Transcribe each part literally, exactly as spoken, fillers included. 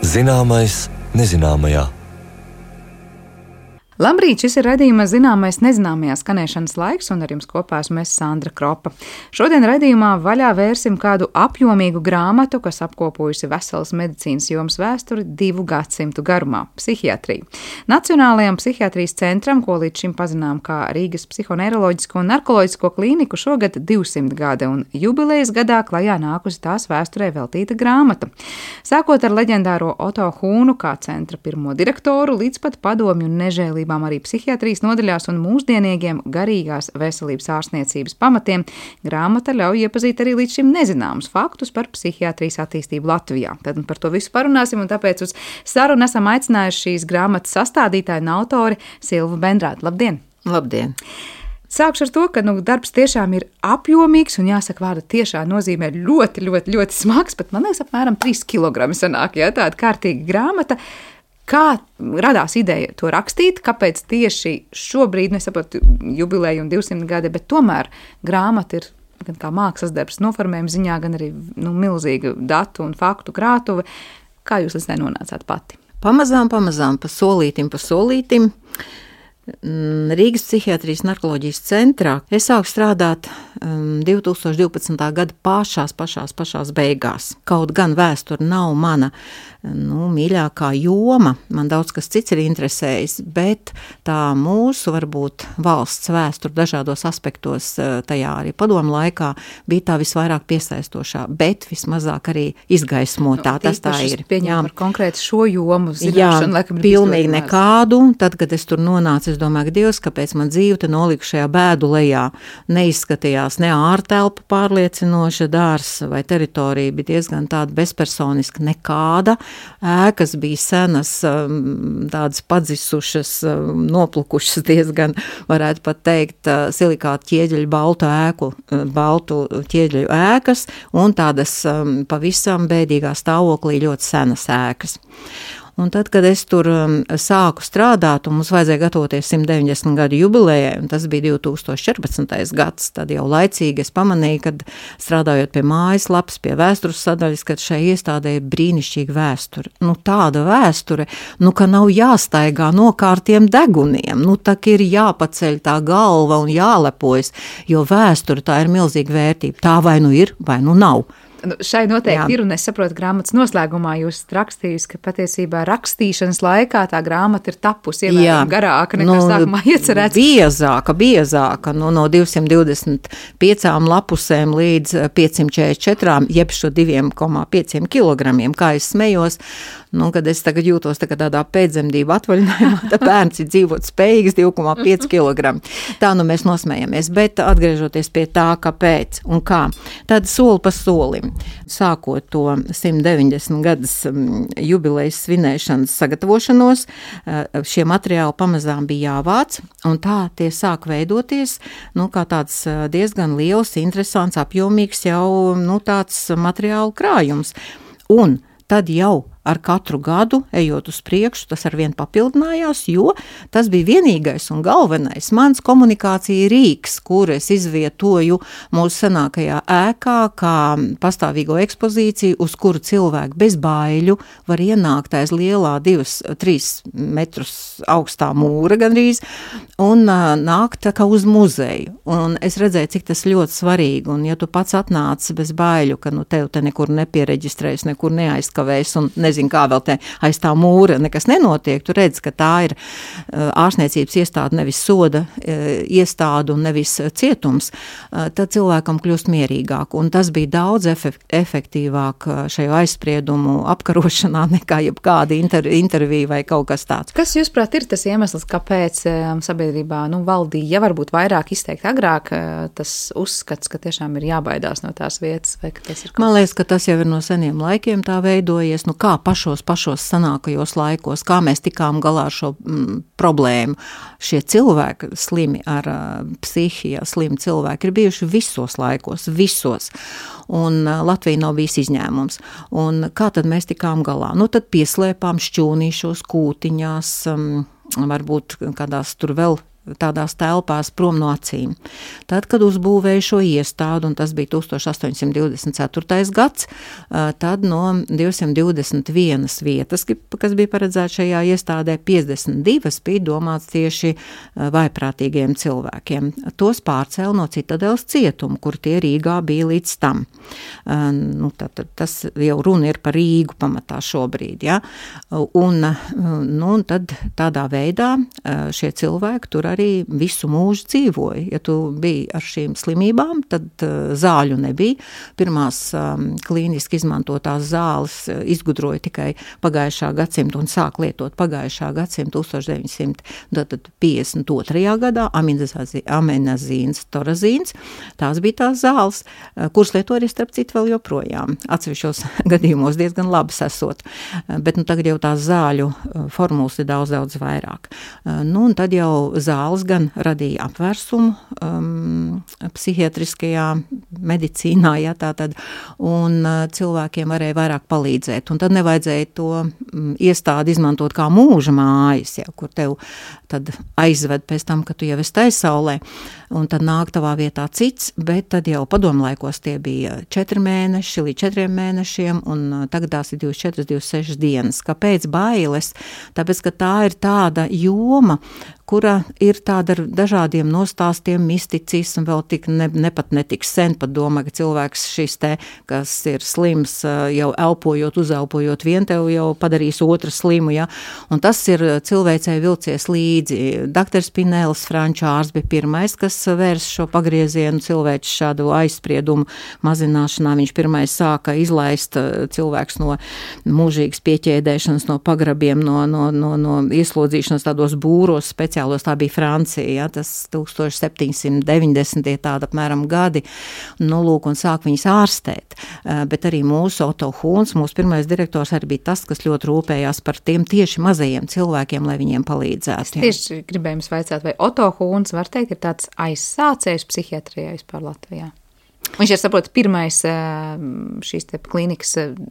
Zināmais nezināmajā. Labrīt, šis ir raidījuma Zināmais nezināmajā skanēšanas laiks, un ar jums kopā esmu es Sandra Kropa. Šodien raidījumā vaļā vērsim kādu apjomīgu grāmatu, kas apkopojusi veselas medicīnas jomas vēsturi divu gadsimtu garumā – psihiatriju. Nacionālajam psihiatrijas centram, ko līdz šim pazinām kā Rīgas psihoneiroloģisko un narkoloģisko klīniku, šogad divsimt gada, un jubilejas gadā klajā nākusi tās vēsturē veltīta grāmata. Sākot ar leģendāro Oto Hūnu kā centra pirmo direktoru, līdz pat padomju un nežēlību arī psihiatrijas nodaļās un mūsdienīgiem garīgās veselības ārstniecības pamatiem, grāmata ļauj iepazīt arī līdz šim nezināmus faktus par psihiatrijas attīstību Latvijā. Tad par to visu parunāsim, un tāpēc uz sarunu esam aicinājuši šīs grāmatas sastādītāju un autori Silvu Bendrāti. Labdien! Labdien! Sākšu ar to, ka nu, darbs tiešām ir apjomīgs, un jāsaka, vārda tiešā nozīmē ļoti, ļoti, ļoti smags, pat man liekas apmēram trīs kilogrami sanāk, ja, tāda kārtīga grāmata. Kā radās ideja to rakstīt, kāpēc tieši šobrīd, nesaprotu, jubileju un divsimt gadi, bet tomēr grāmata ir gan kā mākslas darbs noformējuma ziņā, gan arī nu, milzīga datu un faktu krātuve. Kā jūs līdz tai nonācāt pati? Pamazām, pamazām, pa solītim, pa solītim. Rīgas psihiatrijas narkoloģijas centrā es sāku strādāt um, divi tūkstoši divpadsmitā gada pašās, pašās, pašās beigās. Kaut gan vēsture nav mana nu, mīļākā joma, man daudz kas cits ir interesējis, bet tā mūsu, varbūt, valsts vēsture dažādos aspektos tajā arī padomu laikā bija tā visvairāk piesaistošā, bet vismazāk arī izgaismotā. Nu, tas tā ir. Pieņem par konkrēti šo jomu zināšanu, jā, laikam, pilnīgi nekādu. Tad, kad es tur nonācu, es domāju, Dievs, kāpēc man dzīve te nolika šajā bēdu lejā. Neizskatījās ne ārtelpa pārliecinoša, dārs vai teritorija bija diezgan tāda bezpersoniska, nekāda. Ēkas bija senas, tādas padzisušas, noplukušas diezgan, varētu pat teikt, silikāta ķieģeļu baltu ēku, baltu ķieģeļu ēkas un tādas pavisam bēdīgā stāvoklī ļoti senas ēkas. Un tad, kad es tur um, sāku strādāt, un mums vajadzēja gatavoties simt deviņdesmit gadu jubilejai, un tas bija divi tūkstoši četrpadsmitais gads, tad jau laicīgi es pamanīju, kad strādājot pie mājaslapas, pie vēstures sadaļas, kad šai iestādē ir brīnišķīga vēsture. Nu, tāda vēsture, nu, ka nav jāstaigā no kārtiem deguniem, nu, tā ir jāpaceļ tā galva un jālepojas, jo vēsture tā ir milzīga vērtība. Tā vai nu ir, vai nu nav. Nu, šai noteikti Jā. ir, un es saprotu, grāmatas noslēgumā jūs rakstījusi, ka patiesībā rakstīšanas laikā tā grāmata ir tapusi ievērojami garāka nekā nu, sākumā iecerēts. Biezāka, biezāka, nu, no divsimt divdesmit piecām lapusēm līdz piecsimt četrdesmit četrām, jeb šo diviem komā pieciem kilogramiem, kā es smējos, nu, kad es tagad jūtos tā, tādā pēcdzemdību atvaļinājumā, tā bērns ir dzīvot spējīgs divi komā pieci kilogrami. Tā nu mēs nosmējamies, bet atgriežoties pie tā, kāpēc un kā, tad soli pa solim. Sākot to simt deviņdesmit gadus jubilejas svinēšanas sagatavošanos, šie materiāli pamazām bija jāvāc, un tā tie sāk veidoties, nu, kā tāds diezgan liels, interesants, apjomīgs jau, nu, tāds materiālu krājums. Un tad jau ar katru gadu, ejot uz priekšu, tas arvien papildinājās, jo tas bija vienīgais un galvenais mans komunikācija rīks, kur es izvietoju mūsu senākajā ēkā, kā pastāvīgo ekspozīciju, uz kuru cilvēki bez baiļu var ienākt aiz lielā divas, trīs metrus augstā mūra gandrīz, un uh, nākt tā kā uz muzeju. Un es redzēju, cik tas ļoti svarīgi, un ja tu pats atnāc bez baiļu, ka nu tev te nekur nepiereģistrēs, nekur neaizkavēs, un nezinu, kā vēl te aiz tā mūra nekas nenotiek, tu redz, ka tā ir uh, ārstniecības iestāde, nevis soda uh, iestāde un nevis uh, cietums, uh, tad cilvēkam kļūst mierīgāk. Un tas bija daudz efekt, efektīvāk uh, šajā aizspriedumu apkarošanā nekā jebkāda inter, intervija vai kaut kas tāds. Kas, jūsuprāt, ir tas iemesls, kāpēc um, sabiedrībā nu, valdīja, ja varbūt vairāk izteikt agrāk, uh, tas uzskats, ka tiešām ir jābaidās no tās vietas? Vai ka tas ir kaut... Man liekas, ka tas jau ir no seniem laikiem tā veidojies. Nu, kā pašos, pašos sanākajos laikos, kā mēs tikām galā ar šo mm, problēmu. Šie cilvēki slimi ar uh, psihijā, slimi cilvēki ir bijuši visos laikos, visos. Un uh, Latvija nav bijis izņēmums. Un kā tad mēs tikām galā? Nu, tad pieslēpām šķūnīšos, kūtiņās, um, varbūt kādās tur vēl tādās telpās prom no acīm. Tad, kad uzbūvēja šo iestādi, un tas bija tūkstoš astoņsimt divdesmit ceturtais gads, tad no divsimt divdesmit vienas vietas, kas bija paredzēta šajā iestādē, piecdesmit divas bija domāts tieši vājprātīgiem cilvēkiem. Tos pārcēla no Citadeles cietumu, kur tie Rīgā bija līdz tam. Nu, tad, tas jau runa ir par Rīgu pamatā šobrīd, ja? Un, nu, un tad tādā veidā šie cilvēki tur arī visu mūžu dzīvoja. Ja tu biji ar šīm slimībām, tad zāļu nebija. Pirmās um, klīniski izmantotās zāles izgudroja tikai pagājušā gadsimta un sāk lietot pagājušā gadsimta tūkstoš deviņsimt piecdesmit otrajā gadā amenazīns, torazīns. Tās bija tās zāles, kuras lieto arī starp citu vēl joprojām. Atsevišķos gadījumos diezgan labas esot. Bet nu, tagad jau tās zāļu formulas ir daudz, daudz vairāk. Nu, un tad jau zāles gan radīja apvērsumu um, psihiatriskajā medicīnā, ja tā tad, un uh, cilvēkiem varēja vairāk palīdzēt. Un tad nevajadzēja to um, iestādi izmantot kā mūža mājas, ja, kur tev tad aizved pēc tam, ka tu jau esi taisaulē, un tad nāk tavā vietā cits, bet tad jau padomlaikos tie bija četri mēneši līdz četriem mēnešiem, un uh, tagad tās ir divdesmit četras, divdesmit sešas dienas. Kāpēc bailes? Tāpēc, ka tā ir tāda joma, kura ir tāda ar dažādiem nostāstiem, misticismu, vēl tik ne, ne pat netik sen pat domā, ka cilvēks šis te, kas ir slims, jau elpojot, uzelpojot, vien tev jau padarīs otru slimu, ja, un tas ir cilvēcei vilcies līdzi. Daktors Pinēls, franču ārsts, bija pirmais, kas vērs šo pagriezienu cilvēku šādu aizspriedumu mazināšanā. Viņš pirmais sāka izlaist cilvēks no mūžīgas pieķēdēšanas, no pagrabiem, no, no, no, no ieslodzīšanas tādos būros speciālos. Tā bija Francija, ja, tas tūkstoš septiņsimt deviņdesmitie tāda apmēram gadi, nu lūk, un sāk viņus ārstēt. Bet arī mūsu Otto Hūns, mūsu pirmais direktors, arī bija tas, kas ļoti rūpējās par tiem tieši mazajiem cilvēkiem, lai viņiem palīdzētu. Es tieši gribēju jums vaicāt, vai Otto Hūns, var teikt, ir tāds aizsācējs psihijatrijā vispār Latvijā? Viņš ir, saprot, pirmais šīs te klīnikas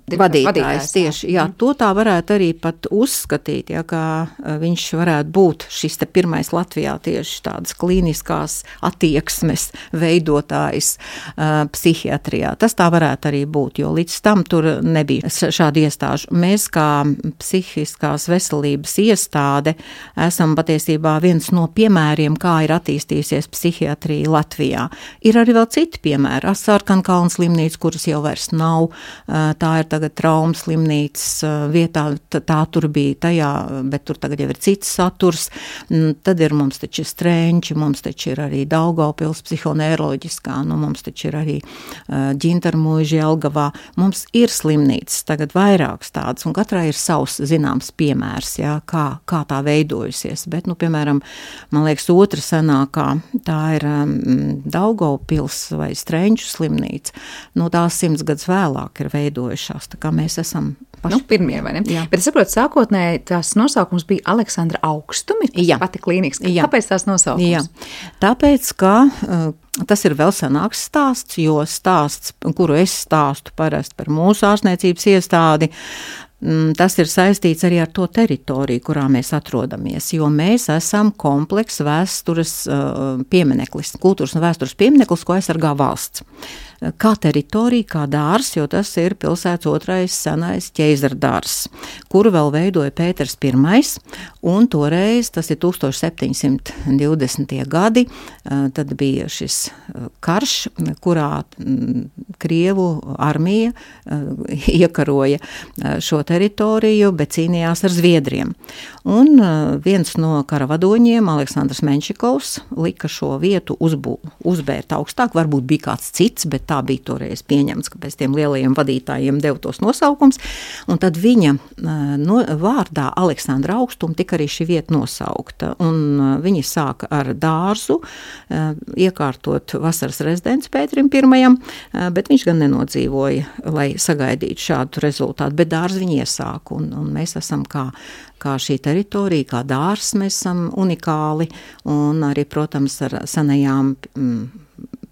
vadītājs, vadītājs. Tieši, jā, to tā varētu arī pat uzskatīt, ja, kā viņš varētu būt šis te pirmais Latvijā tieši tādas klīniskās attieksmes veidotājs uh, psihijatrijā. Tas tā varētu arī būt, jo līdz tam tur nebija šādi iestāžu. Mēs kā psihiskās veselības iestāde esam patiesībā viens no piemēriem, kā ir attīstījusies psihiatrija Latvijā. Ir arī vēl citi piemēri. Sarkankalna slimnīca, kuras jau vairs nav, tā ir tagad trauma slimnīcas vietā, tā tur bija tajā, bet tur tagad jau ir cits saturs. Tad ir mums taču Strenči, mums taču ir arī Daugavpils psihoneiroloģiskā, nu mums taču ir arī Ģintarmuiži Jelgavā. Mums ir slimnīcas, tagad vairākas tādas, un katrai ir savs zināms piemērs, jā, kā, kā tā veidojusies. Bet, nu, piemēram, man liekas, otra senākā, tā ir Daugavpils vai Strenči slimnīca, nu tās simts gadus vēlāk ir veidojušās, tā kā mēs esam paši. Nu, pirmie, vai ne? Jā. Bet es saprotu, sākotnēji tās nosaukums bija Aleksandra Augstumi, tas jā. Pati klīnikas. Jā. Kāpēc tās nosaukums? Jā. Tāpēc, ka uh, tas ir vēl senāks stāsts, jo stāsts, kuru es stāstu parasti par mūsu ārstniecības iestādi, tas ir saistīts arī ar to teritoriju, kurā mēs atrodamies, jo mēs esam komplekss vēstures uh, piemineklis, kultūras un vēstures piemineklis, ko aizsargā valsts. Kā teritorija, kā dārs, jo tas ir pilsētas otrais senais ķeizardārs, kuru vēl veidoja Pēters Pirmais, un toreiz, tas ir tūkstoš septiņsimt divdesmitie gadi, tad bija šis karš, kurā Krievu armija iekaroja šo teritoriju, bet cīnījās ar Zviedriem. Un viens no karavadoņiem, Aleksandrs Menšikovs, lika šo vietu uzbū, uzbērt augstāk, varbūt bija kāds cits, bet tā bija toreiz pieņemts, ka pēc tiem lielajiem vadītājiem deva tos nosaukums, un tad viņa no, vārdā Aleksandra Augstuma tika arī šī vieta nosaukta, un viņi sāka ar dārzu, iekārtot vasaras rezidents Pēterim Pirmajam, bet viņš gan nenodzīvoja, lai sagaidītu šādu rezultātu, bet dārzu viņi iesāka, un, un mēs esam kā kā šī teritorija, kā dārs mēs esam unikāli, un arī, protams, ar senajām mm,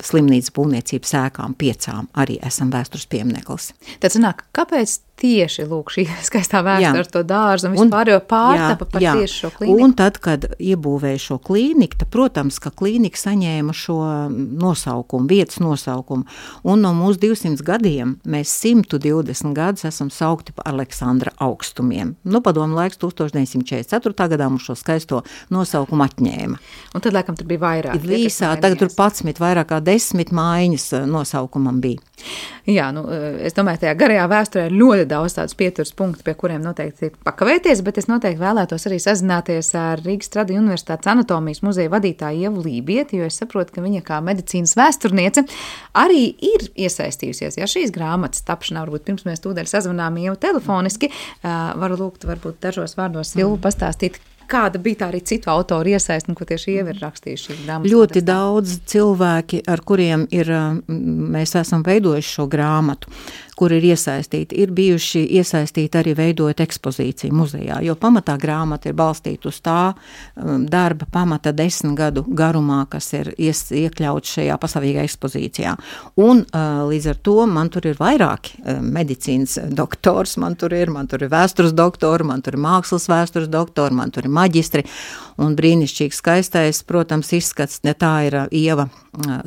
slimnīcas būvniecības ēkām piecām arī esam vēstures piemineklis. Tad sanāk, kāpēc tieši lūk šī skaistā vēsture ar to dārzu un vispār jau pārtapa par jā, tieši šo klīniku. Un tad, kad iebūvēja šo klīniku, tad, protams, ka klīnika saņēma šo nosaukumu, vietas nosaukumu. Un no mūsu divsimt gadiem mēs simt divdesmit gadus esam saukti par Aleksandra augstumiem. Nu, padomu laiks tūkstoš deviņsimt četrdesmit ceturtajā gadā mums šo skaisto nosaukumu atņēma. Un tad, laikam, tur bija vairāk. Visā, tagad tur patsmit, vairāk kā desmit mājiņas nosaukumam bija. Jā, nu, es domāju, tajā garajā vēsturē ir ļoti daudz tādus pieturas punktu, pie kuriem noteikti ir pakavēties, bet es noteikti vēlētos arī sazināties ar Rīgas Tradiņu Universitātes anatomijas muzeja vadītāju Ievu Lībieti, jo es saprotu, ka viņa kā medicīnas vēsturniece arī ir iesaistījusies, ja šīs grāmatas tapšanā, varbūt pirms mēs tūdaļ sazvanām Ievu telefoniski, varu lūgt varbūt dažos vārdos Silvu pastāstīt, kāda bija tā arī citu autoru iesaist, un ko tieši Ieva ir rakstījuši šīs grāmatas? Ļoti daudz cilvēki, ar kuriem ir, mēs esam veidojuši šo grāmatu, kur ir iesaistīti, ir bijuši iesaistīti arī veidojot ekspozīciju muzejā, jo pamatā grāmata ir balstīta uz tā darba pamata desmit gadu garumā, kas ir ies, iekļauts šajā pastāvīgā ekspozīcijā. Un līdz ar to man tur ir vairāki medicīnas doktors, man tur ir, man tur ir vēstures doktori, man tur ir mākslas vēstures doktori, man tur ir maģistri, un brīnišķīgs skaistais, protams, izskats, ne tā ir Ieva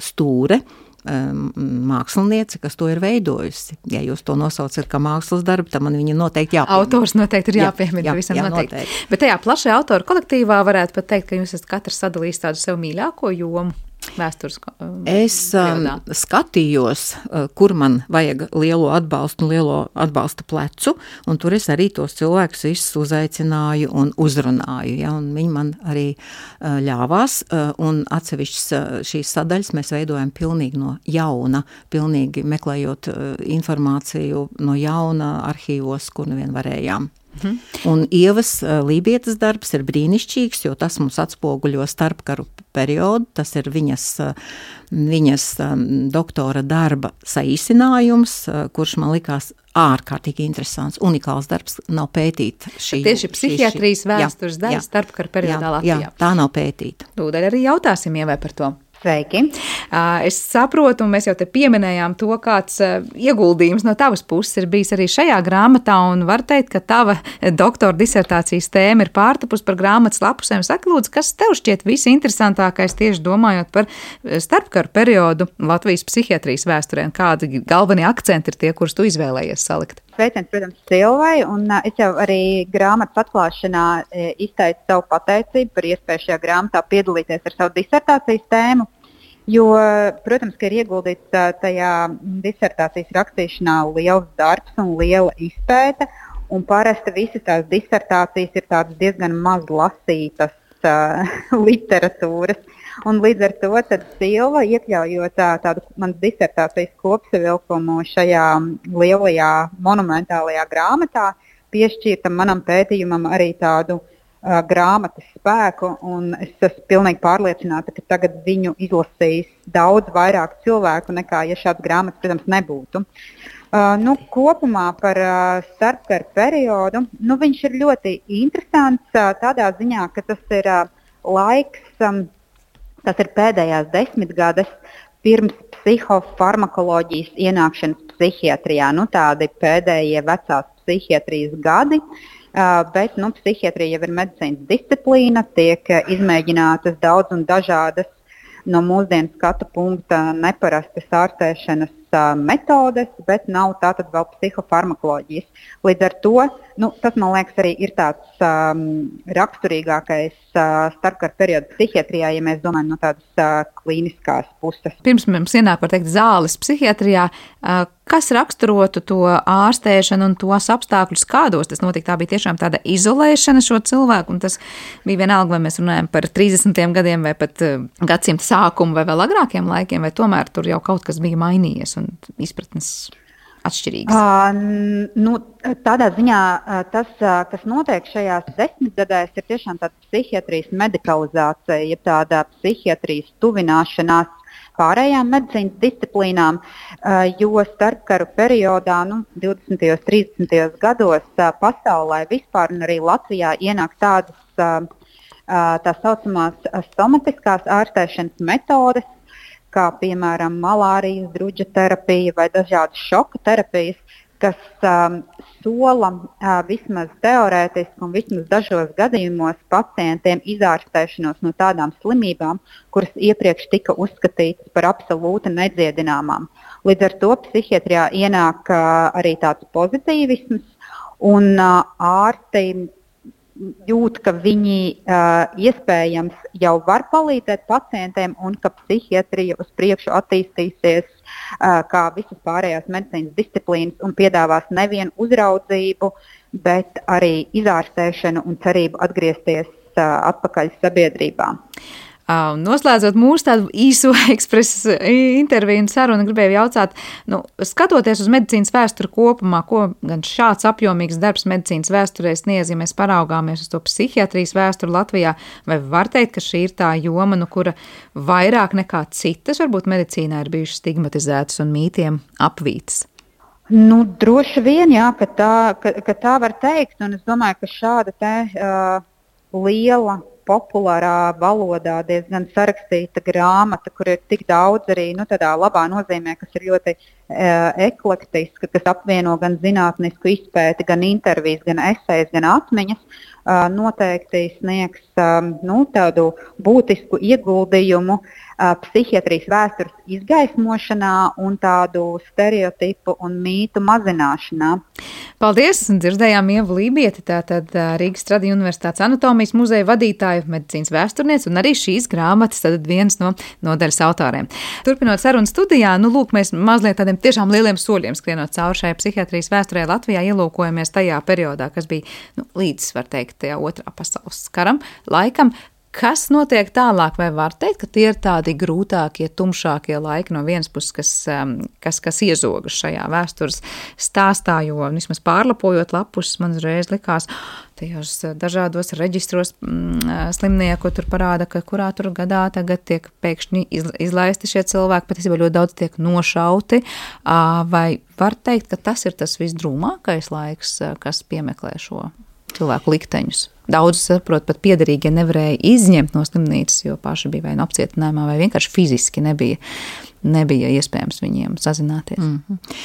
Stūre, māksliniece, kas to ir veidojusi. Ja jūs to nosaucat kā mākslas darbu, tad man viņa noteikti jāpiemina. Autors noteikti ir jāpiemina, jā, jā, visam jā, noteikti. noteikti. Bet tajā plašajā autoru kolektīvā varētu pat teikt, ka jūs esat katrs sadalījis tādu sev mīļāko jomu. Vēstures, es um, skatījos, kur man vajag lielo atbalstu un lielo atbalsta plecu, un tur es arī tos cilvēkus visus uzaicināju un uzrunāju, ja, un viņi man arī uh, ļāvās, uh, un atsevišķas uh, šīs sadaļas mēs veidojam pilnīgi no jauna, pilnīgi meklējot uh, informāciju no jauna arhīvos, kur nevien varējām. Mhm. Un Ievas Lībietes darbs ir brīnišķīgs, jo tas mums atspoguļo starpkaru periodu, tas ir viņas, viņas doktora darba saīsinājums, kurš man likās ārkārtīgi interesants, unikāls darbs, nav pētīta. Šī, tieši psihiatrijas šī, vēstures daļa starpkaru periodā Latvijā. Jā, tā nav pētīta. Tūdaļ arī jautāsim Ievai par to. Sveiki. Es saprotu, un mēs jau te pieminējām to, kāds ieguldījums no tavas puses ir bijis arī šajā grāmatā, un var teikt, ka tava doktora disertācijas tēma ir pārtapus par grāmatas lapusēm. Saki, lūdzu, kas tev šķiet visinteresantākais tieši domājot par starpkaru periodu Latvijas psihiatrijas vēsturē, un kādi galvenie akcenti ir tie, kurus tu izvēlējies salikt? Sveiciens, protams, Silvai, un es jau arī grāmatas atklāšanā izteicu savu pateicību par iespēju šajā grāmatā piedalīties ar savu disertācijas tēmu, jo, protams, ka ir ieguldīts tajā disertācijas rakstīšanā liels darbs un liela izpēte, un parasti visas tās disertācijas ir tādas diezgan maz lasītas uh, literatūras. Un līdz ar to tad Silva, iekļaujot tādu manas disertācijas kopsavilkumu šajā lielajā monumentālajā grāmatā, piešķirta manam pētījumam arī tādu uh, grāmatas spēku, un es esmu pilnīgi pārliecināta, ka tagad viņu izlasīs daudz vairāk cilvēku nekā, ja šāds grāmatas, protams, nebūtu. Uh, nu, kopumā par uh, starpkaru periodu, nu, viņš ir ļoti interesants uh, tādā ziņā, ka tas ir uh, laiks, um, tas ir pēdējās desmitgades pirms psihofarmakoloģijas ienākšanas psihiatrijā. Nu, tādi pēdējie vecās psihiatrijas gadi, uh, bet nu, psihiatrija jau ir medicīnas disciplīna, tiek uh, izmēģinātas daudz un dažādas no mūsdienu skatu punkta neparastas ārstēšanas uh, metodes, bet nav tātad vēl psihofarmakoloģijas. Līdz ar to nu, tas, man liekas, arī ir tāds um, raksturīgākais uh, starpkaru periodu psihiatrijā, ja mēs domājam no tādas uh, klīniskās puses. Pirms mums ienāk, var teikt, zāles psihiatrijā, uh, kas raksturotu to ārstēšanu un tos apstākļus, kādos tas notika? Tā bija tiešām tāda izolēšana šo cilvēku, un tas bija vienalga, vai mēs runājam par trīsdesmitiem gadiem, vai pat uh, gadsimta sākumu, vai vēl agrākiem laikiem, vai tomēr tur jau kaut kas bija mainījies un izpratnes atšķirīgas? Uh, nu, tādā ziņā uh, tas, uh, kas notiek šajās desmitgadēs, ir tiešām tāda psihiatrijas medikalizācija, ja tāda psihiatrijas tuvināšanās pārējām medicīnas disciplīnām, uh, jo starpkaru periodā, nu, divdesmitajos, trīsdesmitajos gados uh, pasaulē vispār un arī Latvijā ienāk tādas uh, uh, tā saucamās somatiskās ārstēšanas metodes, kā piemēram malārijas druģa terapija vai dažādas šoka terapijas, kas um, sola uh, vismaz teorētiski un vismaz dažos gadījumos pacientiem izārstēšanos no tādām slimībām, kuras iepriekš tika uzskatītas par absolūti nedziedināmām. Līdz ar to psihiatrijā ienāk uh, arī tāds pozitīvisms, un uh, ārsti jūt, ka viņi uh, iespējams jau var palīdzēt pacientiem un ka psihiatrija uz priekšu attīstīsies uh, kā visas pārējās medicīnas disciplīnas un piedāvās nevienu uzraudzību, bet arī izārstēšanu un cerību atgriezties uh, atpakaļ sabiedrībā. Noslēdzot mūsu tādu īso ekspresu interviju un sarunu, gribēju jautāt, nu, skatoties uz medicīnas vēsturi kopumā, ko gan šāds apjomīgs darbs medicīnas vēsturē sniedz, ja mēs paraugāmies uz to psihiatrijas vēsturi Latvijā, vai var teikt, ka šī ir tā joma, nu, kura vairāk nekā citas, varbūt medicīnā ir bijušas stigmatizētas un mītiem apvītas? Nu, droši vien, jā, ka tā, ka, ka tā var teikt, un es domāju, ka šāda te uh, liela populārā valodā diezgan sarakstīta grāmata, kur ir tik daudz arī nu, tādā labā nozīmē, kas ir ļoti e, eklektiska, kas apvieno gan zinātnisku izpēti, gan intervijas, gan esejas, gan atmiņas, e, noteikti sniegs e, nu, tādu būtisku ieguldījumu e, psihiatrijas vēstures izgaismošanā un tādu stereotipu un mītu mazināšanā. Paldies! Dzirdējām Ievu Lībieti, tātad Rīgas Tradiņu Universitātes anatomijas muzeja vadītāju, medicīnas vēsturnieci un arī šīs grāmatas tad viens no nodaļas autoriem. Turpinot sarunu studijā, nu lūk, mēs mazliet tādiem tiešām lieliem soļiem skrienot cauri šai psihiatrijas vēsturē Latvijā, ielūkojamies tajā periodā, kas bija nu, līdz, var teikt, tajā otrā pasaules karam, laikam. Kas notiek tālāk, vai var teikt, ka tie ir tādi grūtākie, tumšākie laiki no vienas puses, kas, kas, kas iezogas šajā vēstures stāstā, jo vismaz pārlapojot lapus, man uzreiz likās, tajos dažādos reģistros mm, slimnieku tur parāda, ka kurā tur gadā tagad tiek pēkšņi izlaisti šie cilvēki, pat ļoti daudz tiek nošauti, vai var teikt, ka tas ir tas visdrūmākais laiks, kas piemeklē šo cilvēku likteņus? Daudz, saprot, pat piederīgie nevarēja izņemt no slimnīcas, jo paši bija vai no apcietinājumā, vai vienkārši fiziski nebija, nebija iespējams viņiem sazināties. Mm-hmm.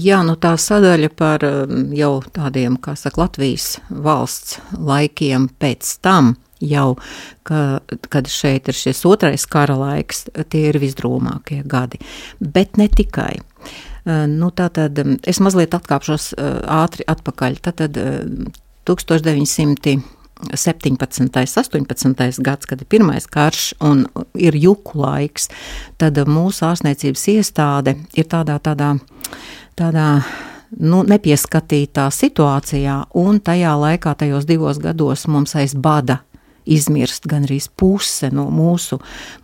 Jā, nu tā sadaļa par jau tādiem, kā saka, Latvijas valsts laikiem pēc tam, jau, ka, kad šeit ir šis otrais kara laiks, tie ir visdrūmākie gadi. Bet ne tikai. Nu tātad, es mazliet atkāpšos ātri atpakaļ. Tātad tūkstoš deviņsimt septiņpadsmitais, astoņpadsmitais gads, kad ir pirmais karš un ir juku laiks, tad mūsu ārstniecības iestāde ir tādā, tādā, tādā nu, nepieskatītā situācijā, un tajā laikā, tajos divos gados mums aiz bada izmirst gan arī puse no mūsu,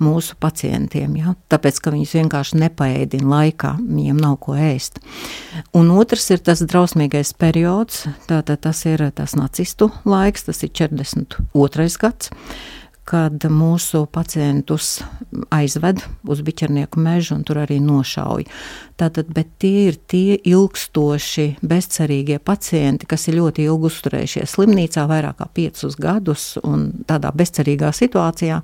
mūsu pacientiem, ja? Tāpēc, ka viņus vienkārši nepaēdina laikā, viņiem nav ko ēst. Un otrs ir tas drausmīgais periods, tātad tas ir tas nacistu laiks, tas ir četrdesmit otrais gads, kad mūsu pacientus aizved uz Biķernieku mežu un tur arī nošauj. Tātad, bet tie ir tie ilgstoši, bezcerīgie pacienti, kas ir ļoti ilgi uzturējušies slimnīcā, vairāk kā piecus gadus un tādā bezcerīgā situācijā,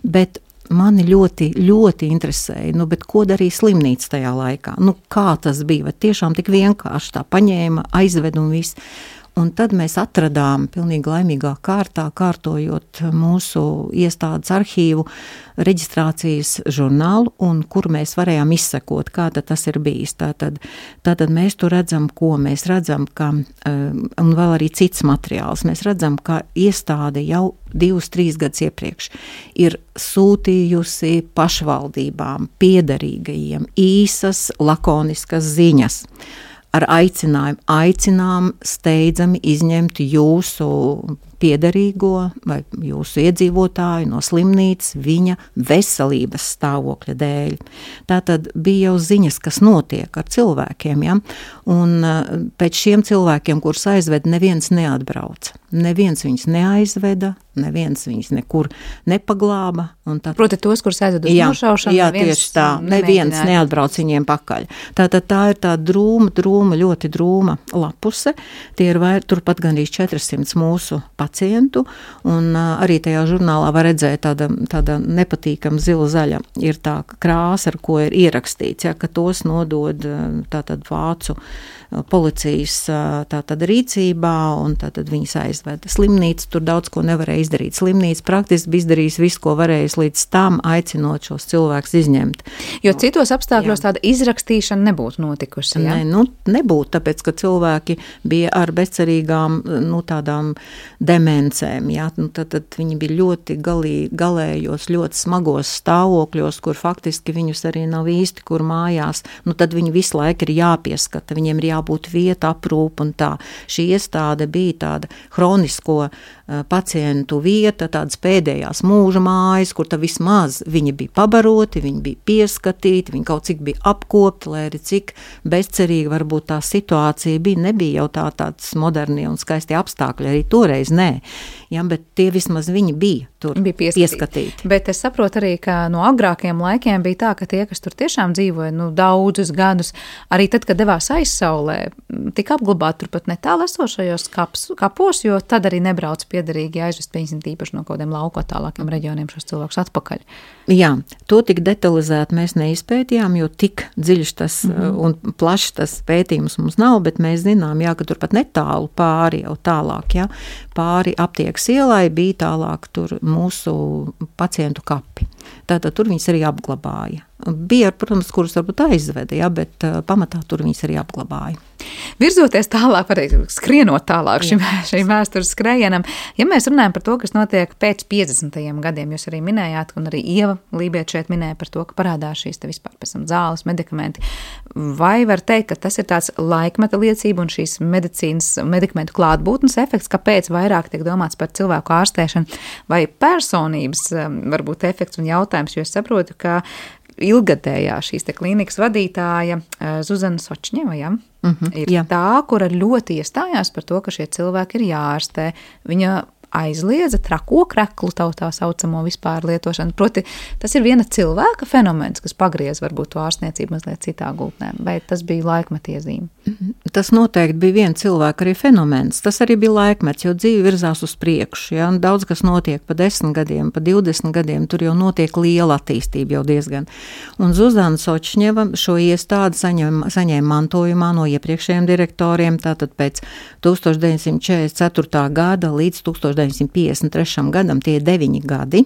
bet mani ļoti, ļoti interesēja, nu, bet ko darīja slimnīca tajā laikā? Nu, kā tas bija? Vai tiešām tik vienkārši tā paņēma, aizved un viss? Un tad mēs atradām pilnīgi laimīgā kārtā, kārtojot mūsu iestādes arhīvu reģistrācijas žurnālu, un kur mēs varējām izsekot, kā tad tas ir bijis. Tātad, tātad mēs tur redzam, ko mēs redzam, ka, un vēl arī cits materiāls, mēs redzam, ka iestāde jau divus, trīs gadus iepriekš ir sūtījusi pašvaldībām, piederīgajiem īsas, lakoniskas ziņas. Ar aicinājumu, aicinām steidzami izņemt jūsu piederīgo vai jūsu iedzīvotāju no slimnīcas viņa veselības stāvokļa dēļ. Tātad bija jau ziņas, kas notiek ar cilvēkiem, ja? Un pēc šiem cilvēkiem, kurus aizved, neviens neatbrauca. Neviens viņus neaizveda, neviens viņus nekur nepaglāba. Un tā, proti tos, kurus aizved uz nošaušanu, jā, tieši tā, neviens neatbrauc viņiem pakaļ. Tātad tā ir tā drūma, drūma, ļoti drūma lapuse. Tie ir vai, turpat gandrīz četrsimt mūsu pacienti. pacientu, un uh, arī tajā žurnālā var redzēt tāda, tāda nepatīkama zila zaļa ir tā krāsa, ar ko ir ierakstīts, ja, ka tos nodod uh, tātad vācu uh, policijas uh, tātad rīcībā, un tātad viņas aizveda. Slimnīca tur daudz ko nevarēja izdarīt. Slimnīca praktiski bija izdarījis visu, ko varējis līdz tam, aicinot šos cilvēkus izņemt. Jo citos apstākļos jā. Tāda izrakstīšana nebūtu notikusi, ja? Ne, nu, nebūtu, tāpēc, ka cilvēki bija ar bezcerīgām, nu, tādām demencēm, ja? Nu, tad, tad viņi bija ļoti galī, galējos, ļoti smagos stāvokļos, kur faktiski viņus arī nav īsti, kur mājās, nu, tad viņi visu laiku ir jāpieskata, viņiem ir jābūt vieta, aprūp un tā. Šī iestāde bija tāda hronisko uh, pacientu vieta, tādas pēdējās mūža mājas, kur tā vismaz viņi bija pabaroti, viņi bija pieskatīti, viņi kaut cik bija apkopti, lai arī cik bezcerīgi varbūt tā situācija bija, nebija jau tā tāds modernie un skaisti apstākļi, arī toreiz nē, ja, bet tie vismaz viņi bija tur bija pieskatīti. pieskatīti. Bet es saprotu arī, ka no agrākiem laikiem bija tā, ka tie, kas tur tiešām dzīvoja, nu, daudzus gadus, arī tad, kad devās aizsaulē, tika apglabāti turpat netālu esošajos kaps, kapos, jo tad arī nebrauc piederīgi aizvest, piemēram, īpaši no kādiem lauku attālākiem reģioniem šos cilvēkus atpakaļ. Jā, to tik detalizēti mēs neizpētījām, jo tik dziļš tas mm-hmm. un plašs tas pētījums mums nav, bet mēs zinām, jā, ka turpat netālu pāri jau tālāk, jā, pāri aptiekas ielai bija tālāk tur mūsu pacientu kapi. Tātad tur viņas arī apglabāja. Bija, protams, kurus varbūt aizveda, ja, bet uh, pamatā tur viņas arī apglabāja. Virzoties tālāk, varēja skrienot tālāk šim, šim vēstures skrējienam, ja mēs runājam par to, kas notiek pēc piecdesmitajiem gadiem, jūs arī minējāt, un arī Ieva Lībiet šeit minēja par to, ka parādās šīs te vispār pēc tam zāles, medikamenti. Vai var teikt, ka tas ir tāds laikmeta liecība un šīs medicīnas medikamentu klātbūtnes efekts, kāpēc vairāk tiek domāts par cilvēku ārstēšanu, vai personības varbūt efekts un jautājums, jo es saprotu, ka ilgadējā šīs te klīnikas vadītāja Zuzana Sočņeva, ja, mm-hmm, ir jā. Tā, kura ļoti iestājās par to, ka šie cilvēki ir jāārstē. Viņa aizliedza trako kreklu tautā saucamo vispār lietošanu. Proti, tas ir viena cilvēka fenomens, kas pagriez varbūt to ārstniecību mazliet citā gultnē. Vai tas bija laikmetiezīme? Tas noteikti bija viena cilvēka arī fenomens. Tas arī bija laikmets, jo dzīve virzās uz priekšu. Ja? Un daudz, kas notiek pa desmit gadiem, pa divdesmit gadiem, tur jau notiek liela attīstība jau diezgan. Un Zuzana Sočņeva šo iestādi saņem, saņēma mantojumā no iepriekšējiem direktoriem, tātad pēc tūkstoš deviņsimt četrdesmit ceturtā gada līdz tūkstoš deviņsimt piecdesmit trešajam gadam, tie deviņi gadi.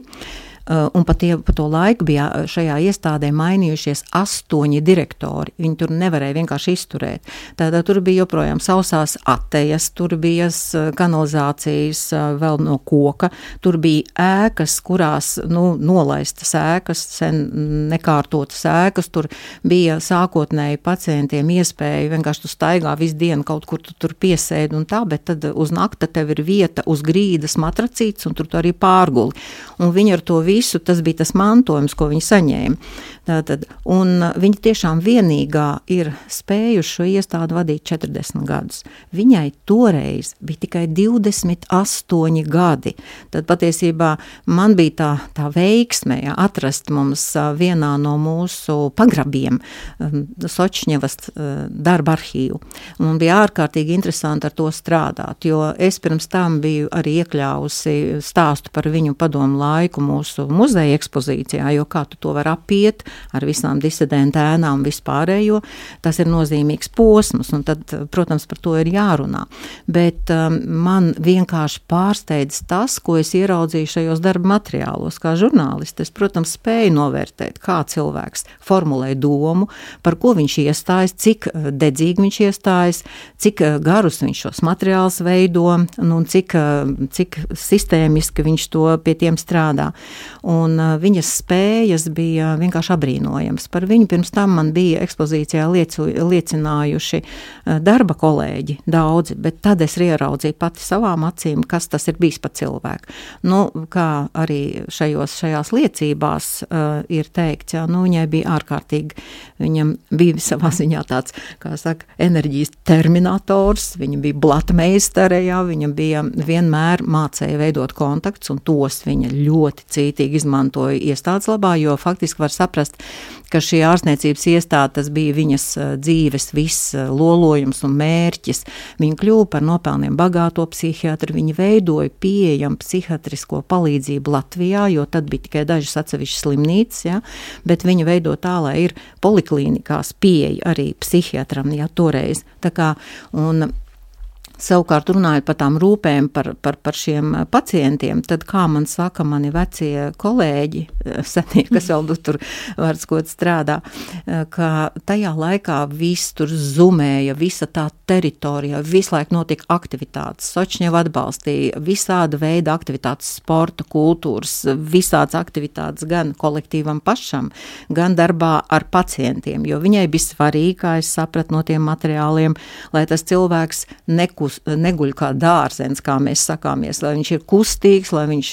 Un pa, tie, pa to laiku bija šajā iestādē mainījušies astoņi direktori. Viņi tur nevarēja vienkārši izturēt. Tātad tur bija joprojām sausās atejas, tur bija kanalizācijas vēl no koka, tur bija ēkas, kurās, nu, nolaistas ēkas, sen nekārtotas ēkas, tur bija sākotnēji pacientiem iespēja vienkārši tu staigā visu dienu kaut kur tu tur piesēdi un tā, bet tad uz nakta tev ir vieta uz grīdas matracītes un tur tu arī pārguli. Un viņi ar to visu Visu, tas bija tas mantojums, ko viņi saņēma. Tātad, un viņi tiešām vienīgā ir spējuši šo iestādi vadīt četrdesmit gadus. Viņai toreiz bija tikai divdesmit astoņi gadi. Tad patiesībā man bija tā, tā veiksme, ja, atrast mums vienā no mūsu pagrabiem Sočņevas darba arhīvu. Un man bija ārkārtīgi interesanti ar to strādāt, jo es pirms tam biju arī iekļāvusi stāstu par viņu padomu laiku mūsu muzeja ekspozīcijā, jo kā tu to var apiet ar visām disidentu ēnām un vispārējo, tas ir nozīmīgs posms, un tad, protams, par to ir jārunā. Bet um, man vienkārši pārsteidz tas, ko es ieraudzīju šajos darba materiālos, kā žurnālisti. Es, protams, spēju novērtēt, kā cilvēks formulē domu, par ko viņš iestājas, cik dedzīgi viņš iestājas, cik garus viņš šos materiālus veido, un cik, cik sistēmiski viņš to pie tiem strādā. Un uh, viņas spējas bija vienkārši abrīnojams. Par viņu pirms tam man bija ekspozīcijā liecu, liecinājuši uh, darba kolēģi daudzi, bet tad es ieraudzīju pati savām acīm, kas tas ir bijis pa cilvēku. Nu, kā arī šajos, šajās liecībās uh, ir teikts, jā, nu, viņai bija ārkārtīgi, viņam bija savā ziņā tāds, kā saka, enerģijas terminators, viņa bija blatmeistare, jā, viņa bija vienmēr mācēja veidot kontakts, un tos viņa ļoti cītīgi rūpīgi izmantoja iestādes labā, jo faktiski var saprast, ka šī ārstniecības iestāde, tas bija viņas dzīves viss lolojums un mērķis. Viņa kļuva par nopelniem bagāto psihiatru, viņa veidoja pieejamu psihiatrisko palīdzību Latvijā, jo tad bija tikai dažas atsevišķas slimnīcas, ja, bet viņa veido tā, lai ir poliklīnikās pieeja arī psihiatram, ja, toreiz. Tā kā, un savukārt runājot par tām rūpēm par, par, par šiem pacientiem, tad, kā man saka mani vecie kolēģi, senie, kas vēl tur vārdskot strādā, ka tajā laikā viss tur zumēja, visa tā teritorija, visu laiku notika aktivitātes, Sočņeva atbalstīja, visāda veida aktivitātes, sporta, kultūras, visādas aktivitātes gan kolektīvam pašam, gan darbā ar pacientiem, jo viņai bija svarīgi, kā es sapratu no tiem materiāliem, lai tas cilvēks nekus neguļ kā dārzens, kā mēs sakāmies, lai viņš ir kustīgs, lai viņš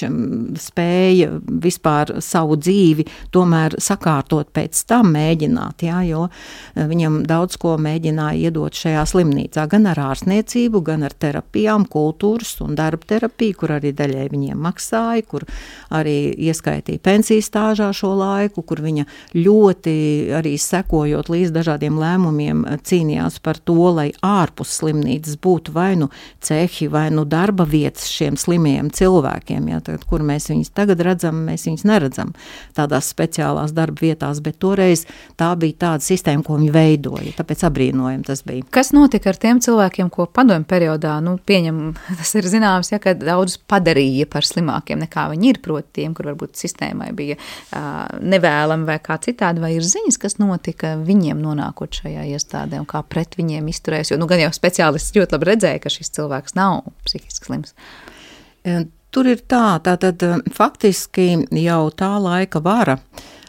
spēja vispār savu dzīvi tomēr sakārtot pēc tam mēģināt, jā, jo viņam daudz ko mēģināja iedot šajā slimnīcā, gan ar ārstniecību, gan ar terapijām, kultūras un darba terapiju, kur arī daļai viņiem maksāja, kur arī ieskaitīja pensijas stāžā šo laiku, kur viņa ļoti arī sekojot līdz dažādiem lēmumiem cīnījās par to, lai ārpus slimnīcas būtu vai nu cehi, vai nu darba vietas šiem slimiem cilvēkiem, ja, tagad, kur mēs viņus tagad redzam, mēs viņus neredzam tādās speciālās darba vietās, bet toreiz tā bija tāda sistēma, ko viņi veidoja, tāpēc abrīnojam tas bija. Kas notika ar tiem cilvēkiem, ko padomju periodā, nu, pieņem, tas ir zināms, ja, ka daudz padarīja par slimākiem nekā viņi ir, proti tiem, kur varbūt sistēmai bija uh, nevēlami vai kā citādi, vai ir ziņas, kas notika viņiem nonākot šajā iestādē un kā pret viņiem izturēs, jo, nu, gan jau speciālists ļoti labi redzēja, ka šis cilvēks nav psihiski slims. Tur ir tā, tātad faktiski jau tā laika vara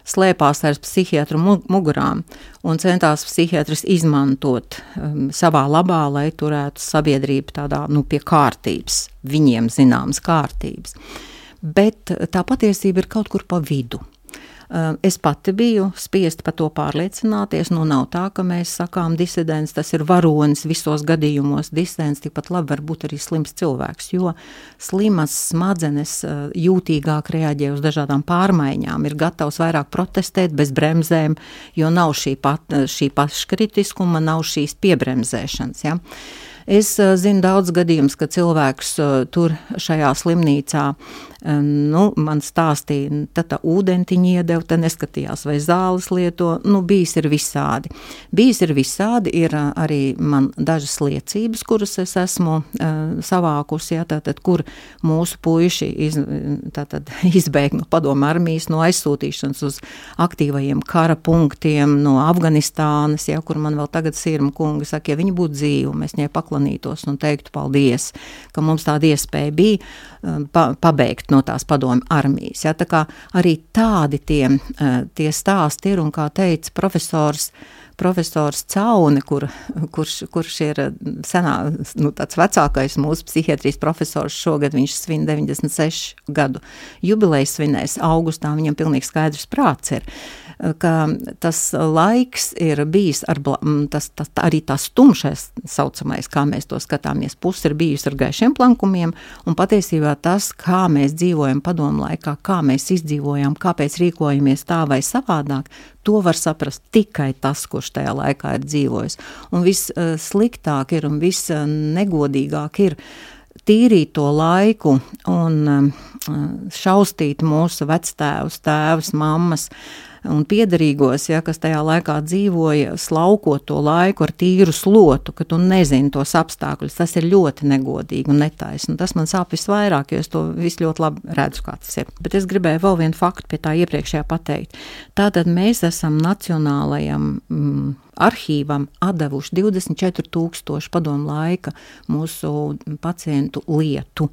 slēpās ar psihiatru mugurām un centās psihiatris izmantot um, savā labā, lai turētu sabiedrību tādā, nu, pie kārtības, viņiem zināmas kārtības. Bet tā patiesība ir kaut kur pa vidu. Es pati biju spiest par to pārliecināties, nu nav tā, ka mēs sakām disidents, tas ir varonis visos gadījumos, disidents tikpat labi var būt arī slims cilvēks, jo slimas smadzenes jūtīgāk reaģē uz dažādām pārmaiņām, ir gatavs vairāk protestēt bez bremzēm, jo nav šī, pat, šī paškritiskuma, nav šīs piebremzēšanas, ja. Es uh, zinu daudz gadījumus, ka cilvēks uh, tur šajā slimnīcā, um, nu, man stāstīja, tad tā ūdentiņi iedeva, tad neskatījās, vai zāles lieto, nu, bijis ir visādi. Bijis ir visādi, ir uh, arī man dažas liecības, kuras es esmu uh, savākusi, ja, tātad, kur mūsu puiši iz, tātad, izbēg no padomu armijas, no aizsūtīšanas uz aktīvajiem kara punktiem, no Afganistānas, ja, kur man vēl tagad sirma kungi saka, ja viņi būtu dzīvi, mēs viņai paklanītos un teiktu paldies, ka mums tāda iespēja bija pa, pabeigt no tās padomju armijas. Ja, tā kā arī tādi tie, tie stāsti ir, un kā teica profesors, profesors Caune, kur, kurš, kurš ir senā, nu, tāds vecākais mūsu psihiatrijas profesors, šogad viņš svin deviņdesmit sešu gadu jubileju svinēs augustā, viņam pilnīgi skaidrs prāts ir, ka tas laiks ir bijis, ar, tas, tas, arī tas tumšais saucamais, kā mēs to skatāmies, pusi ir bijusi ar gaišiem plankumiem, un patiesībā tas, kā mēs dzīvojam padomu laikā, kā mēs izdzīvojam, kāpēc rīkojamies tā vai savādāk, to var saprast tikai tas, kurš tajā laikā ir dzīvojis. Un viss uh, sliktāk ir un viss uh, negodīgāk ir tīrīt to laiku un uh, šaustīt mūsu vectēvus, tēvus, mammas un piederīgos, ja, kas tajā laikā dzīvoja, slaukot to laiku ar tīru slotu, ka tu nezini tos apstākļus. Tas ir ļoti negodīgi un netaisni. Tas man sāp visvairāk, jo es to visu ļoti labi redzu, kā tas ir. Bet es gribēju vēl vienu faktu pie tā iepriekšējā pateikt. Tātad mēs esam nacionālajam mm, arhīvam atdevuši divdesmit četri tūkstoši padomu laika mūsu pacientu lietu,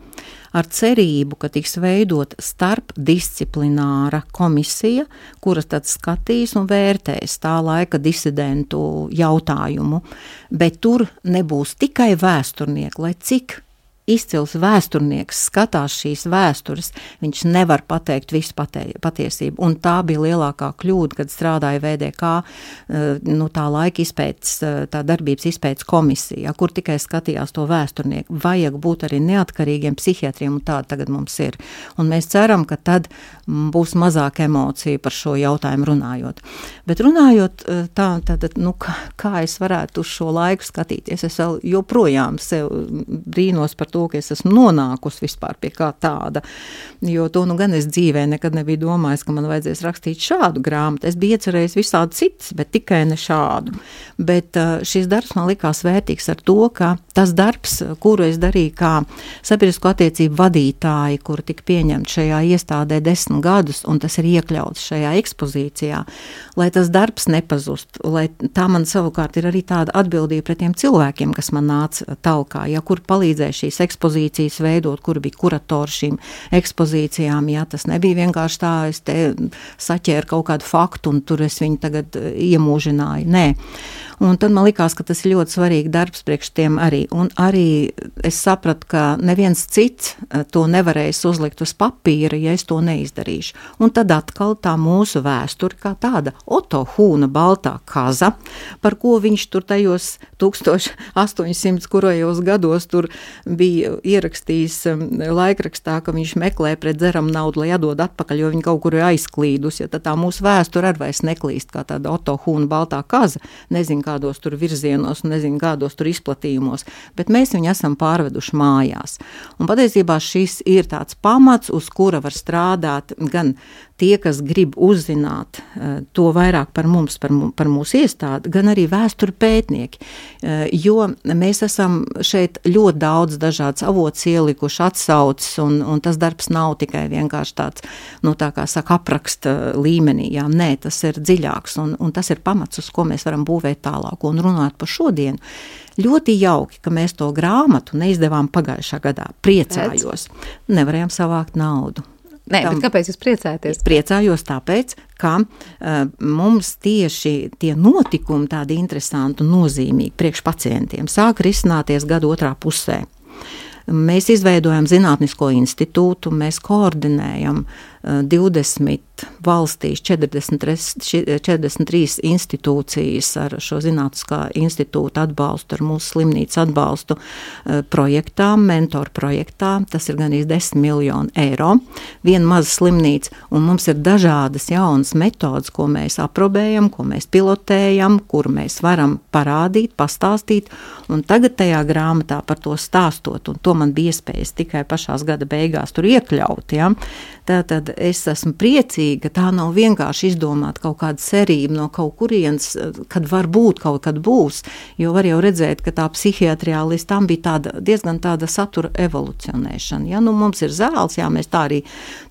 ar cerību, ka tiks veidot starpdisciplināra komisija, kura tad skatīs un vērtēs tā laika disidentu jautājumu, bet tur nebūs tikai vēsturnieki, lai cik izcils vēsturnieks skatās šīs vēstures, viņš nevar pateikt visu patē, patiesību. Un tā bija lielākā kļūda, kad strādāja V D K, nu, tā laika izpētes, tā darbības izpētes komisija, kur tikai skatījās to vēsturnieku. Vajag būt arī neatkarīgiem psihiatriem, un tāda tagad mums ir. Un mēs ceram, ka tad būs mazāk emociju par šo jautājumu runājot. Bet runājot tā, tad, nu, kā, kā es varētu uz šo laiku skatīties, es vēl joprojām sev brīnos par to, ka es esmu nonākusi vispār pie kā tāda, jo to nu gan es dzīvē nekad nebiju domājis, ka man vajadzēs rakstīt šādu grāmatu. Es biju iecerējis visādi citas, bet tikai ne šādu. Bet šis darbs man likās vērtīgs ar to, ka tas darbs, kuru es darīju kā sabiedrisko attiecību vadītāji, kuru tika pieņemt šajā iestādē desmit gadus, un tas ir iekļauts šajā ekspozīcijā, lai tas darbs nepazust, lai tā man savukārt ir arī tāda atbildība pret tiem cilvēkiem, kas man nāca talkā, ja, kur palīdzēja šīs ekspozīcijas veidot, kur bija kuratori šīm ekspozīcijām, ja tas nebija vienkārši tā, es te saķēru kaut kādu faktu un tur es viņu tagad iemūžināju, nē. Un tad man likās, ka tas ir ļoti svarīgi darbs priekš tiem arī, un arī es sapratu, ka neviens cits to nevarēs uzlikt uz papīra, ja es to neizdarīšu. Un tad atkal tā mūsu vēsture kā tāda Oto Hūna baltā kaza, par ko viņš tur tajos tūkstoš astoņsimt kurojos gados tur bija ierakstījis laikrakstā, ka viņš meklē pret dzeram naudu, lai atdod atpakaļ, jo viņi kaut kur ir aizklīdus, ja tad tā mūsu vēsture arī vairs neklīst kā tāda Oto Hūna baltā kaza, nezinu, kādos tur virzienos, nezinu, kādos tur izplatījumos, bet mēs viņu esam pārveduši mājās. Un patiesībā šis ir tāds pamats, uz kura var strādāt gan tie, kas grib uzzināt uh, to vairāk par mums, par, par mūsu iestādi, gan arī vēsturi pētnieki, uh, jo mēs esam šeit ļoti daudz dažādas avots ielikuši atsaucis, un, un tas darbs nav tikai vienkārši tāds, nu tā kā saka, apraksta līmenī, jā, nē, tas ir dziļāks, un, un tas ir pamats, uz ko mēs varam būvēt tālāk un runāt par šodienu. Ļoti jauki, ka mēs to grāmatu neizdevām pagājušā gadā. Priecājos. Nevarējām savākt naudu. Nē, Tam, bet kāpēc jūs priecājaties? Priecājos tāpēc, ka uh, mums tieši tie notikumi tādi interesanti un nozīmīgi priekš pacientiem sāk risināties gada otrā pusē. Mēs izveidojam zinātnisko institūtu, mēs koordinējam uh, divdesmit valstīs, četrdesmit, četrdesmit trīs institūcijas ar šo zinātniskā institūta atbalstu, ar mūsu slimnīcu atbalstu uh, projektām, mentoru projektām. Tas ir gandrīz desmit miljoni eiro. Viena maza slimnīca, un mums ir dažādas jaunas metodas, ko mēs aprobējam, ko mēs pilotējam, kur mēs varam parādīt, pastāstīt, un tagad tajā grāmatā par to stāstot, un to man bija iespējas tikai pašās gada beigās tur iekļaut, ja. Tātad es esmu priecīga, tā nav vienkārši izdomāt kaut kāda cerība no kaut kurienes, kad var būt, kaut kad būs, jo var jau redzēt, ka tā psihiatrijā līdz tam bija tāda, diezgan tāda satura evolucionēšana, ja, nu mums ir zāles, jā, mēs tā arī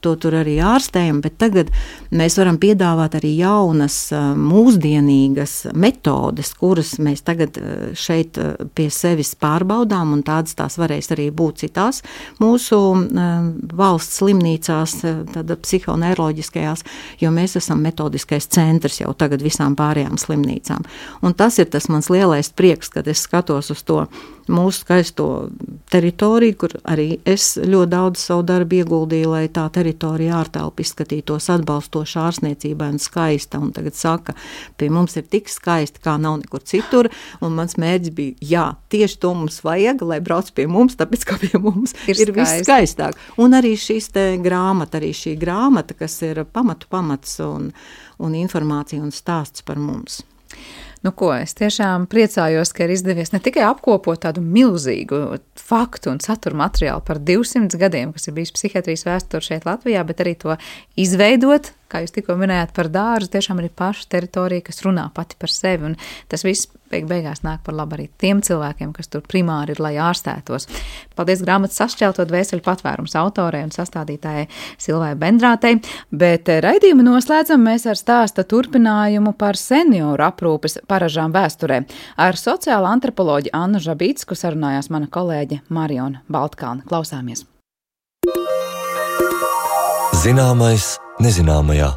to tur arī ārstējam, bet tagad mēs varam piedāvāt arī jaunas, mūsdienīgas metodes, kuras mēs tagad šeit pie sevis pārbaudām, un tādas tās varēs arī būt citās mūsu uh, valsts slimnīcās, tāda psihoneiroloģiskajās, jo mēs esam metodiskais centrs jau tagad visām pārējām slimnīcām. Un tas ir tas mans lielais prieks, kad es skatos uz to mūsu skaisto teritoriju, kur arī es ļoti daudz savu darbu ieguldīju, lai tā teritorija ārtelpa izskatītos atbalstoši ārstniecībai un skaista, un tagad saka, pie mums ir tik skaisti, kā nav nekur citur, un mans mērķis bija, jā, tieši to mums vajag, lai brauc pie mums, tāpēc, ka pie mums ir, ir viss skaistāk. Un arī šīs te grāmata, arī šī grāmata, kas ir pamatu pamats un, un informācija un stāsts par mums. Nu ko, es tiešām priecājos, ka ir izdevies ne tikai apkopot tādu milzīgu faktu un satura materiālu par divsimt gadiem, kas ir bijis psihiatrijas vēsture šeit Latvijā, bet arī to izveidot, kā jūs tikko minējāt par dārzu, tiešām arī paša teritorija, kas runā pati par sevi, un tas viss beig beigās nāk par labu arī tiem cilvēkiem, kas tur primāri ir, lai ārstētos. Paldies grāmatas Sašķelto dvēseli patvērums autorei un sastādītājai Silvai Bendrātei, bet raidījumu noslēdzam mēs ar stāsta turpinājumu par senioru aprūpes paražām vēsturē. Ar sociāla antropoloģi Annu Žabītsku sarunājās mana kolēģe Mariona Baltkalna. Klausāmies! Zināmais nezināmajā.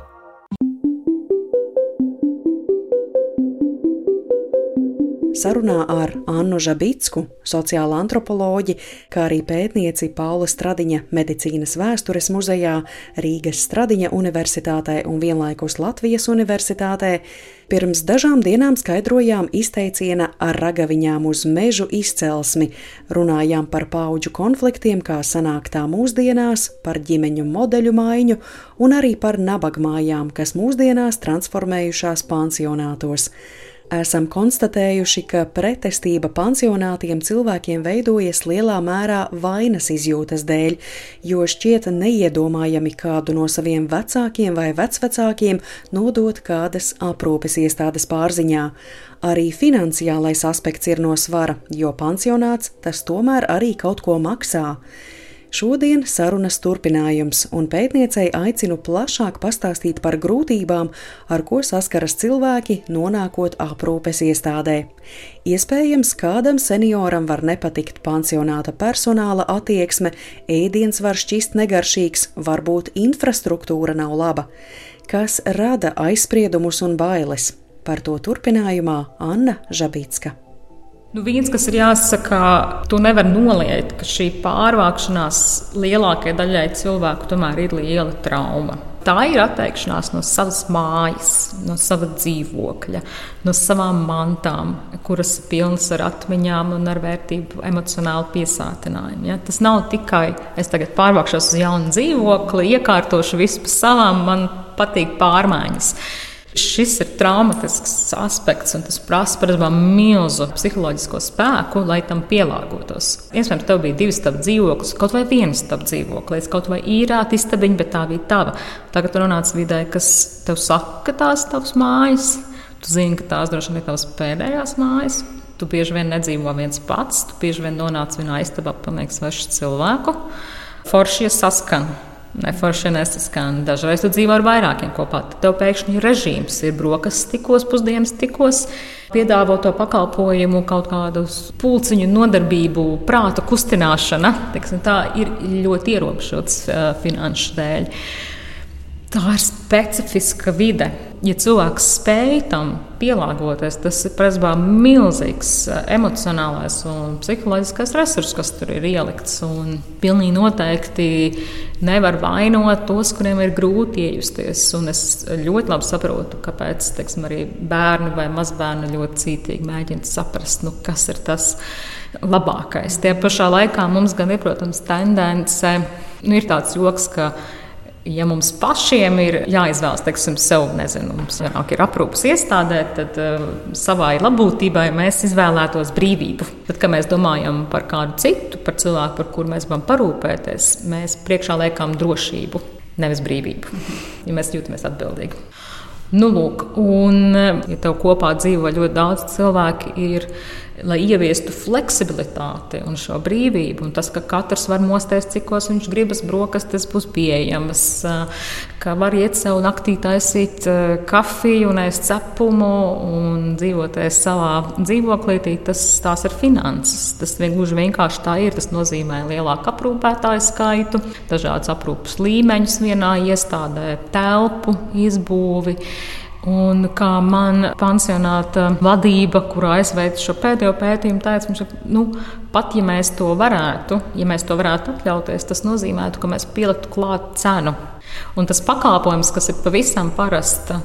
sarunā ar Annu Žabicku, sociālo antropoloģi, kā arī pētnieci Paula Stradiņa medicīnas vēstures muzejā, Rīgas Stradiņa universitātē un vienlaikus Latvijas universitātē, pirms dažām dienām skaidrojām izteiciena ar ragaviņām uz mežu izcelsmi, runājām par paudžu konfliktiem, kā sanāk tā mūsdienās, par ģimeņu modeļu maiņu un arī par nabagmājām, kas mūsdienās transformējušās pansionātos. Esam konstatējuši, ka pretestība pansionātiem cilvēkiem veidojas lielā mērā vainas izjūtas dēļ, jo šķiet neiedomājami kādu no saviem vecākiem vai vecvecākiem nodot kādas aprūpes iestādes pārziņā. Arī finansiālais aspekts ir no svara, jo pansionāts tas tomēr arī kaut ko maksā. Šodien sarunas turpinājums, un pētniecei aicinu plašāk pastāstīt par grūtībām, ar ko saskaras cilvēki, nonākot aprūpes iestādē. Iespējams, kādam senioram var nepatikt pansionāta personāla attieksme, ēdiens var šķist negaršīgs, varbūt infrastruktūra nav laba. Kas rada aizspriedumus un bailes? Par to turpinājumā Anna Žabicka. Nu, viens, kas ir jāsaka, tu nevar noliegt, ka šī pārvākšanās lielākajai daļai cilvēku tomēr ir liela trauma. Tā ir atteikšanās no savas mājas, no sava dzīvokļa, no savām mantām, kuras ir pilnas ar atmiņām un ar vērtību emocionālu piesātinājumu. Ja? Tas nav tikai, es tagad pārvākšos uz jaunu dzīvokli, iekārtošu visu pa savām, man patīk pārmaiņas. Šis ir traumatisks aspekts, un tas prasa parasti milzu psiholoģisko spēku, lai tam pielāgotos. Iespējams, tev bija divi stabu dzīvoklis, kaut vai viens stabu dzīvoklis, kaut vai īrāta istabiņa, bet tā bija tava. Tagad tu nonāc vidē, kas tev saka, ka tās ir tavas mājas. Tu zini, ka tās droši vien ir tavas pēdējās mājas. Tu bieži vien nedzīvo viens pats, tu bieži vien nonāc vienā istabā pilnīgi svešu cilvēku. Foršie saskan. Neforši nesaskan. Dažreiz tu dzīvo ar vairākiem kopā. Tad tev pēkšņi ir režīms, ir brokastis tikos, pusdienas tikos, piedāvo to pakalpojumu, kaut kādu pulciņu nodarbību, prāta kustināšana. Teiksim, tā ir ļoti ierobežots uh, finanšu dēļ. Tā ir specifiska vide. Ja cilvēks spēj tam pielāgoties, tas ir presbā milzīgs emocionālais un psiholoģiskais resurs, kas tur ir ielikts. Un pilnīgi noteikti nevar vainot tos, kuriem ir grūti iejusties. Un es ļoti labi saprotu, kāpēc teiksim, arī bērni vai mazbērni ļoti cītīgi mēģina saprast, nu, kas ir tas labākais. Tie pašā laikā mums gan ir, protams, tendence, nu, ir tāds joks, ka ja mums pašiem ir jāizvēlas, teiksim, sev, nezinu, mums vienāk ir aprūpes iestādē, tad uh, savai labbūtībai mēs izvēlētos brīvību. Tad, kad mēs domājam par kādu citu, par cilvēku, par kuru mēs gribam parūpēties, mēs priekšā liekam drošību, nevis brīvību, ja mēs jūtamies atbildīgi. Nu, lūk, un ja tev kopā dzīvo ļoti daudz cilvēki, ir, lai ieviestu fleksibilitāti un šo brīvību, un tas, ka katrs var mosties, cikos viņš gribas, brokastis būs pieejamas, ka var iet sev naktī taisīt kafiju un ēst cepumu un dzīvoties savā dzīvoklītī, tas tās ir finanses. Tas gluži vienkārši tā ir. Tas nozīmē lielāku aprūpētāju skaitu, dažādas aprūpes līmeņus vienā iestādē, telpu, izbūvi. Un kā man pansionāta vadība, kurā es veicu šo pēdējo pētījumu, teica, ka nu, pat ja mēs to varētu, ja mēs to varētu atļauties, tas nozīmētu, ka mēs pieliktu klāt cenu. Un tas pakalpojums, kas ir pavisam parasta,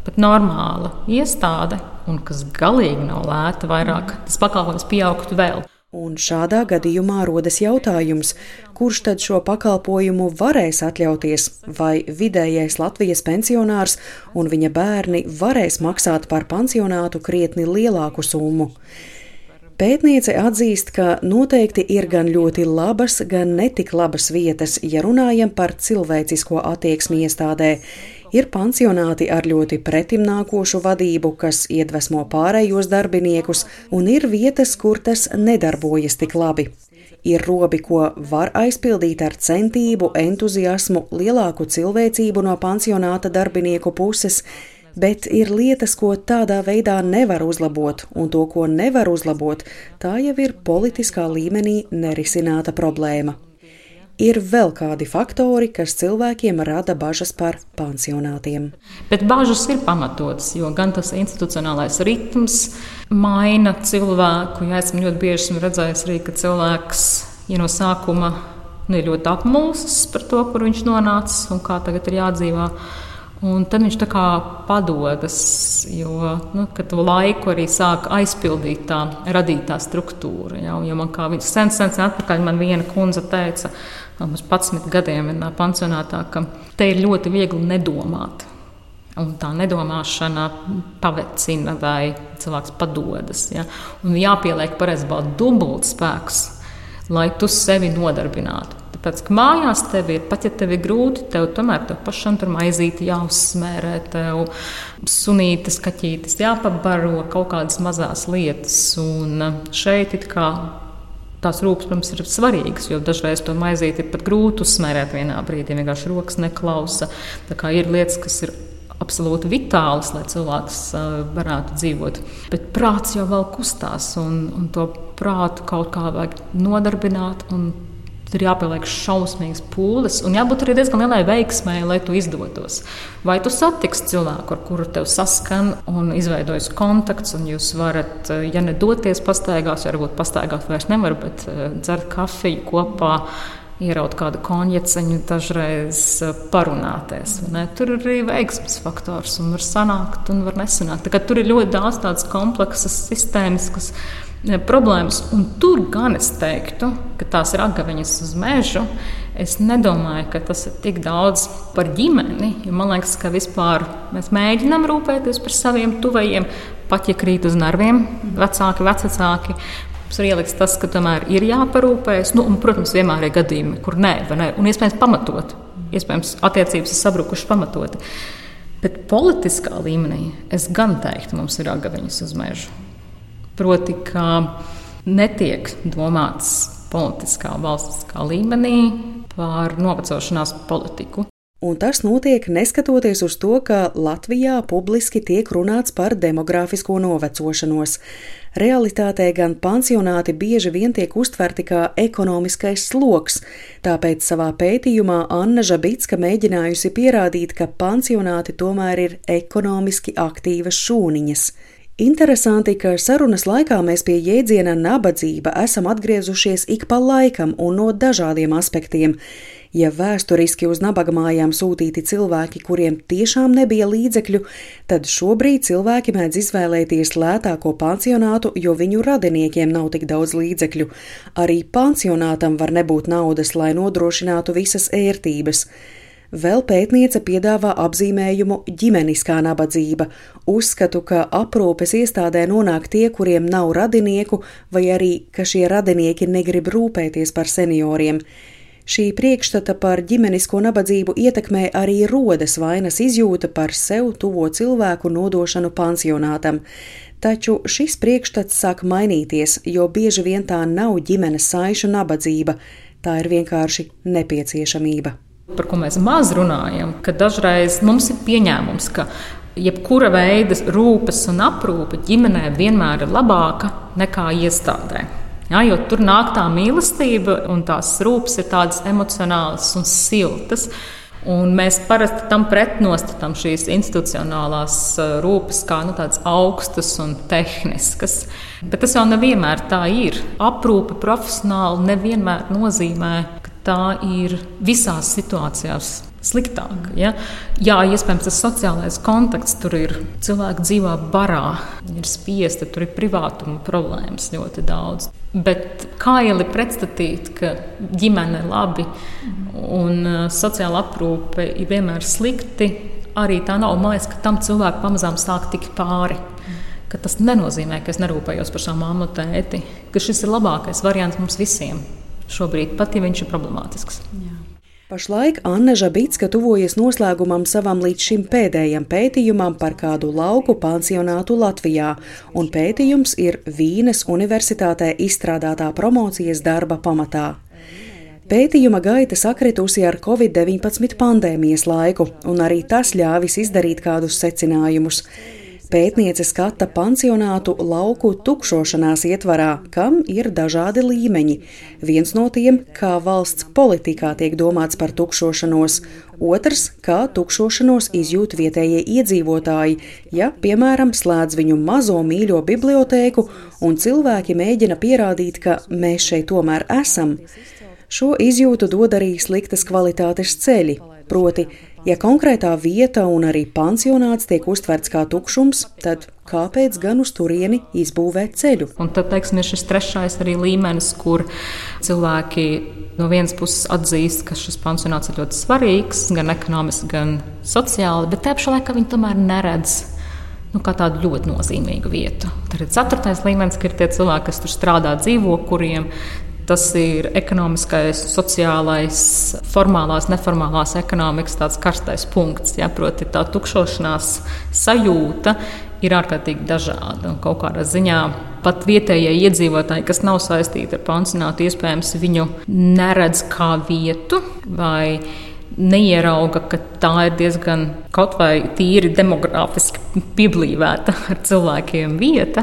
pat normāla iestāde, un kas galīgi nav lēta vairāk, tas pakalpojums pieaugtu vēl. Un šādā gadījumā rodas jautājums, kurš tad šo pakalpojumu varēs atļauties, vai vidējais Latvijas pensionārs un viņa bērni varēs maksāt par pansionātu krietni lielāku summu. Pētniece atzīst, ka noteikti ir gan ļoti labas, gan netik labas vietas, ja runājam par cilvēcisko attieksmi iestādē. Ir pansionāti ar ļoti pretimnākošu vadību, kas iedvesmo pārējos darbiniekus, un ir vietas, kur tas nedarbojas tik labi. Ir robi, ko var aizpildīt ar centību, entuziasmu, lielāku cilvēcību no pansionāta darbinieku puses, bet ir lietas, ko tādā veidā nevar uzlabot, un to, ko nevar uzlabot, tā jau ir politiskā līmenī nerisināta problēma. ir vēl kādi faktori, kas cilvēkiem rada bažas par pansionātiem. Bet bažas ir pamatotas, jo gan tas institucionālais ritms maina cilvēku. Ja esmu ļoti bieži esmu redzējis arī, ka cilvēks ja no sākuma nu, ir ļoti apmulsis par to, kur viņš nonācis un kā tagad ir jādzīvā. Un tad viņš tā kā padodas, jo nu, to laiku arī sāk aizpildīt tā radītā struktūra. Ja? Jo man kā sen, sen, sen atpakaļ man viena kundze teica, mums padsmit gadiem vienā pansionātā, ka te ir ļoti viegli nedomāt. Un tā nedomāšana pavecina vai cilvēks padodas. Ja? Un jāpieliek pareizībā dubult spēks, lai tu sevi nodarbinātu. Tāpēc, ka mājās tev ir, pat ja tev ir grūti, tev tomēr tev pašam tur maizīti jāuzsmērē, tev sunītes, kaķītes jāpabaro, kaut kādas mazās lietas. Un šeit it kā tās rūpes, protams, ir svarīgas, jo dažreiz to maizīti ir pat grūti uzsmērēt vienā brīdī, vienkārši rokas neklausa. Tā kā ir lietas, kas ir absolūti vitālas, lai cilvēks varētu dzīvot. Bet prāts jau vēl kustās, un, un to prātu kaut kā vajag nodarbināt, un tur jāpieliek šausmīgas pūles, un jābūt arī diezgan lielai veiksmai, lai tu izdotos. Vai tu satiksi cilvēku, ar kuru tev saskan un izveidojas kontakts, un jūs varat, ja ne doties pastaigās, varbūt pastaigāt vairs nevar, bet dzert kafiju kopā, ieraut kādu konjaceņu, dažreiz parunāties. Ne? Tur ir arī veiksmes faktors, un var sanākt, un var nesanākt. Tā kā tur ir ļoti daudz tādas kompleksas, sistēmiskas problēmas, un tur gan es teiktu, ka tās ir agaviņas uz mežu. Es nedomāju, ka tas ir tik daudz par ģimeni, jo man liekas, ka vispār mēs mēģinām rūpēties par saviem tuvajiem, pat ja krīt uz nerviem, vecāki, vecāki. Mums ir ieliks tas, ka tomēr ir jāparūpējas, nu, un, protams, vienmēr ir gadījumi, kur nē, vai nē, un iespējams pamatot, iespējams attiecības ir sabrukušas pamatoti. Bet politiskā līmenī es gan teiktu, mums ir agaviņas uz mežu. Proti, ka netiek domāts politiskā valstiskā līmenī par novecošanās politiku. Un tas notiek neskatoties uz to, ka Latvijā publiski tiek runāts par demogrāfisko novecošanos. Realitātē gan pansionāti bieži vien tiek uztverti kā ekonomiskais sloks, tāpēc savā pētījumā Anna Žabicka mēģinājusi pierādīt, ka pansionāti tomēr ir ekonomiski aktīvas šūniņas. Interesanti, ka sarunas laikā mēs pie jēdziena nabadzība esam atgriezušies ik pa laikam un no dažādiem aspektiem. Ja vēsturiski uz nabagmājām sūtīti cilvēki, kuriem tiešām nebija līdzekļu, tad šobrīd cilvēki mēdz izvēlēties lētāko pansionātu, jo viņu radiniekiem nav tik daudz līdzekļu. Arī pansionātam var nebūt naudas, lai nodrošinātu visas ērtības. Vēl pētniece piedāvā apzīmējumu ģimeniskā nabadzība. Uzskatu, ka aprūpes iestādē nonāk tie, kuriem nav radinieku, vai arī, ka šie radinieki negrib rūpēties par senioriem. Šī priekšstata par ģimenisko nabadzību ietekmē arī rodas vainas izjūta par sev tuvo cilvēku nodošanu pansionātam. Taču šis priekšstats sāk mainīties, jo bieži vien tā nav ģimenes saišu nabadzība, tā ir vienkārši nepieciešamība. Par ko mēs maz runājam, ka dažreiz mums ir pieņēmums, ka jebkura veida rūpes un aprūpe ģimenē vienmēr ir labāka nekā iestādē. Ja, jo tur nāk tā mīlestība un tās rūpes ir tādas emocionālas un siltas. Un mēs parasti tam pretnostatām šīs institucionālās rūpes kā nu, tādas augstas un tehniskas. Bet tas jau nevienmēr tā ir. Aprūpe profesionāli nevienmēr nozīmē, ka tā ir visās situācijās sliktāk. Ja? Jā, iespējams, tas sociālais kontakts tur ir. Cilvēki dzīvo barā, ir spiesti, tur ir privātuma problēmas ļoti daudz. Bet kā jau ir pretstatīt, ka ģimene ir labi un sociāla aprūpe ir vienmēr slikti, arī tā nav. Man liekas, ka tam cilvēku pamazām sāk tikt pāri. Ka tas nenozīmē, ka es nerūpējos par savu mammu un tēti, ka šis ir labākais variants mums visiem šobrīd, pat ja viņš ir problemātisks. Jā. Pašlaik Anna Žabicka tuvojas noslēgumam savam līdz šim pēdējam pētījumam par kādu lauku pansionātu Latvijā, un pētījums ir Vīnes Universitātē izstrādātā promocijas darba pamatā. Pētījuma gaita sakritusi ar covid deviņpadsmit pandēmijas laiku, un arī tas ļāvis izdarīt kādus secinājumus. pētniece skata pansionātu lauku tukšošanās ietvarā, kam ir dažādi līmeņi. Viens no tiem, kā valsts politikā tiek domāts par tukšošanos, otrs, kā tukšošanos izjūt vietējie iedzīvotāji, ja, piemēram, slēdz viņu mazo mīļo bibliotēku un cilvēki mēģina pierādīt, ka mēs šeit tomēr esam. Šo izjūtu dod arī sliktas kvalitātes ceļi, proti, ja konkrētā vieta un arī pansionāts tiek uztverts kā tukšums, tad kāpēc gan uz turieni izbūvēt ceļu? Un tad, teiksim, ir šis trešais arī līmenis, kur cilvēki no vienas puses atzīst, ka šis pansionāts ir ļoti svarīgs, gan ekonomiski, gan sociāli, bet tajā pašā laikā viņi tomēr neredz nu, kā tādu ļoti nozīmīgu vietu. Tad ir ceturtais līmenis, ka ir tie cilvēki, kas tur strādā, dzīvo, kuriem tas ir ekonomiskais, sociālais, formālās, neformālās ekonomikas tāds karstais punkts. Ja, proti tā tukšošanās sajūta ir ārkārtīgi dažāda. Un kaut kādā ziņā pat vietējie iedzīvotāji, kas nav saistīti ar pansionātu, iespējams viņu neredz kā vietu vai neierauga, ka tā ir diezgan kaut vai tīri demogrāfiski pieblīvēta ar cilvēkiem vieta.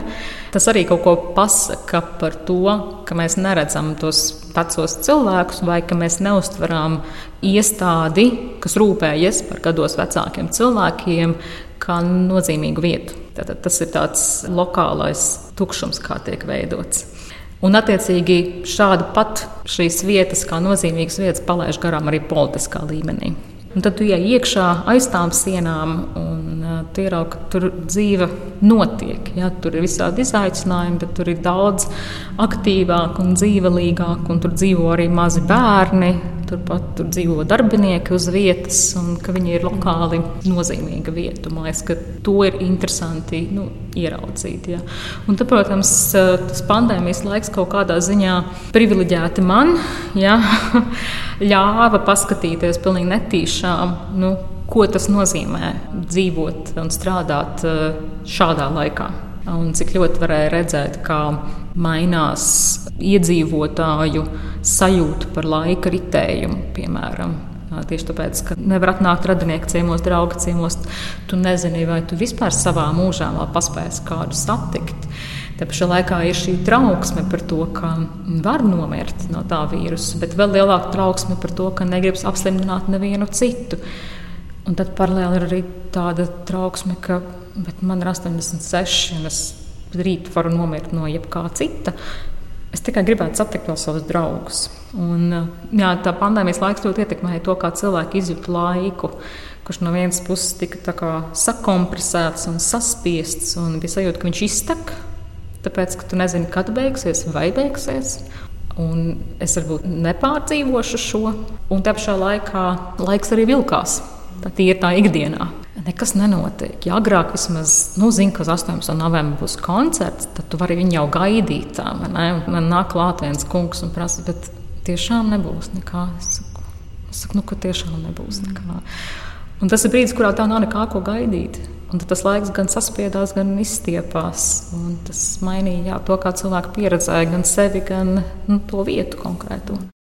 Tas arī kaut ko pasaka par to, ka mēs neredzam tos vecos cilvēkus vai ka mēs neuztveram iestādi, kas rūpējas par gados vecākiem cilvēkiem, kā nozīmīgu vietu. Tātad tas ir tāds lokālais tukšums, kā tiek veidots. Un, attiecīgi, šādu pat šīs vietas, kā nozīmīgas vietas, palaiž garām arī politiskā līmenī. Un tad tu iej iekšā aiz tām sienām un uh, tu ieraugi, ka tur dzīve notiek. Ja? Tur ir visādi izaicinājumi, bet tur ir daudz aktīvāk un dzīvelīgāk, un tur dzīvo arī mazi bērni. Turpat tur dzīvo darbinieki uz vietas, un ka viņi ir lokāli nozīmīga vieta. Man liekas, ka to ir interesanti nu, ieraudzīt. Ja. Un tad, protams, tas pandēmijas laiks kaut kādā ziņā privileģēti man ja, ļāva paskatīties pilnīgi netīšām, nu, ko tas nozīmē dzīvot un strādāt šādā laikā. Un cik ļoti varēja redzēt, kā mainās iedzīvotāju sajūta par laika ritējumu, piemēram. Tieši tāpēc, ka nevar atnākt radinieku ciemos, draugu ciemos, tu nezini, vai tu vispār savā mūžā vēl paspēsi kādu satikt. Te pašā laikā ir šī trauksme par to, ka var nomirt no tā vīrusa, bet vēl lielāka trauksme par to, ka negribas apslimtināt nevienu citu. Un tad paralēli ir arī tāda trauksme, ka bet man ir astoņdesmit seši, un es rīt varu nomirt no jebkā cita. Es tikai gribētu satikt vēl savus draugus. Un, jā, tā pandēmijas laiks ļoti ietekmēja to, kā cilvēki izjūta laiku, kurš no vienas puses tika tā kā sakompresēts un saspiests, un bija sajūta, ka viņš iztek, tāpēc, ka tu nezini, kad beigsies vai beigsies. Un es varbūt nepārdzīvošu šo, un te pašā laikā laiks arī vilkās. Tā ir tā ikdienā. Nekas nenotiek. Ja agrāk vismaz, nu, zinu, ka uz astoņpadsmitā novembrī būs koncerts, tad tu vari viņu jau gaidīt. Tā, man nāk klāt viens kungs un prasa, bet tiešām nebūs nekā. Es saku, es saku nu, ka tiešām nebūs nekā. Un tas ir brīdis, kurā tā nav nekā ko gaidīt. Un tad tas laiks gan saspiedās, gan izstiepās. Un tas mainīja jā, to, kā cilvēki pieredzēja gan sevi, gan nu, to vietu konkrēto.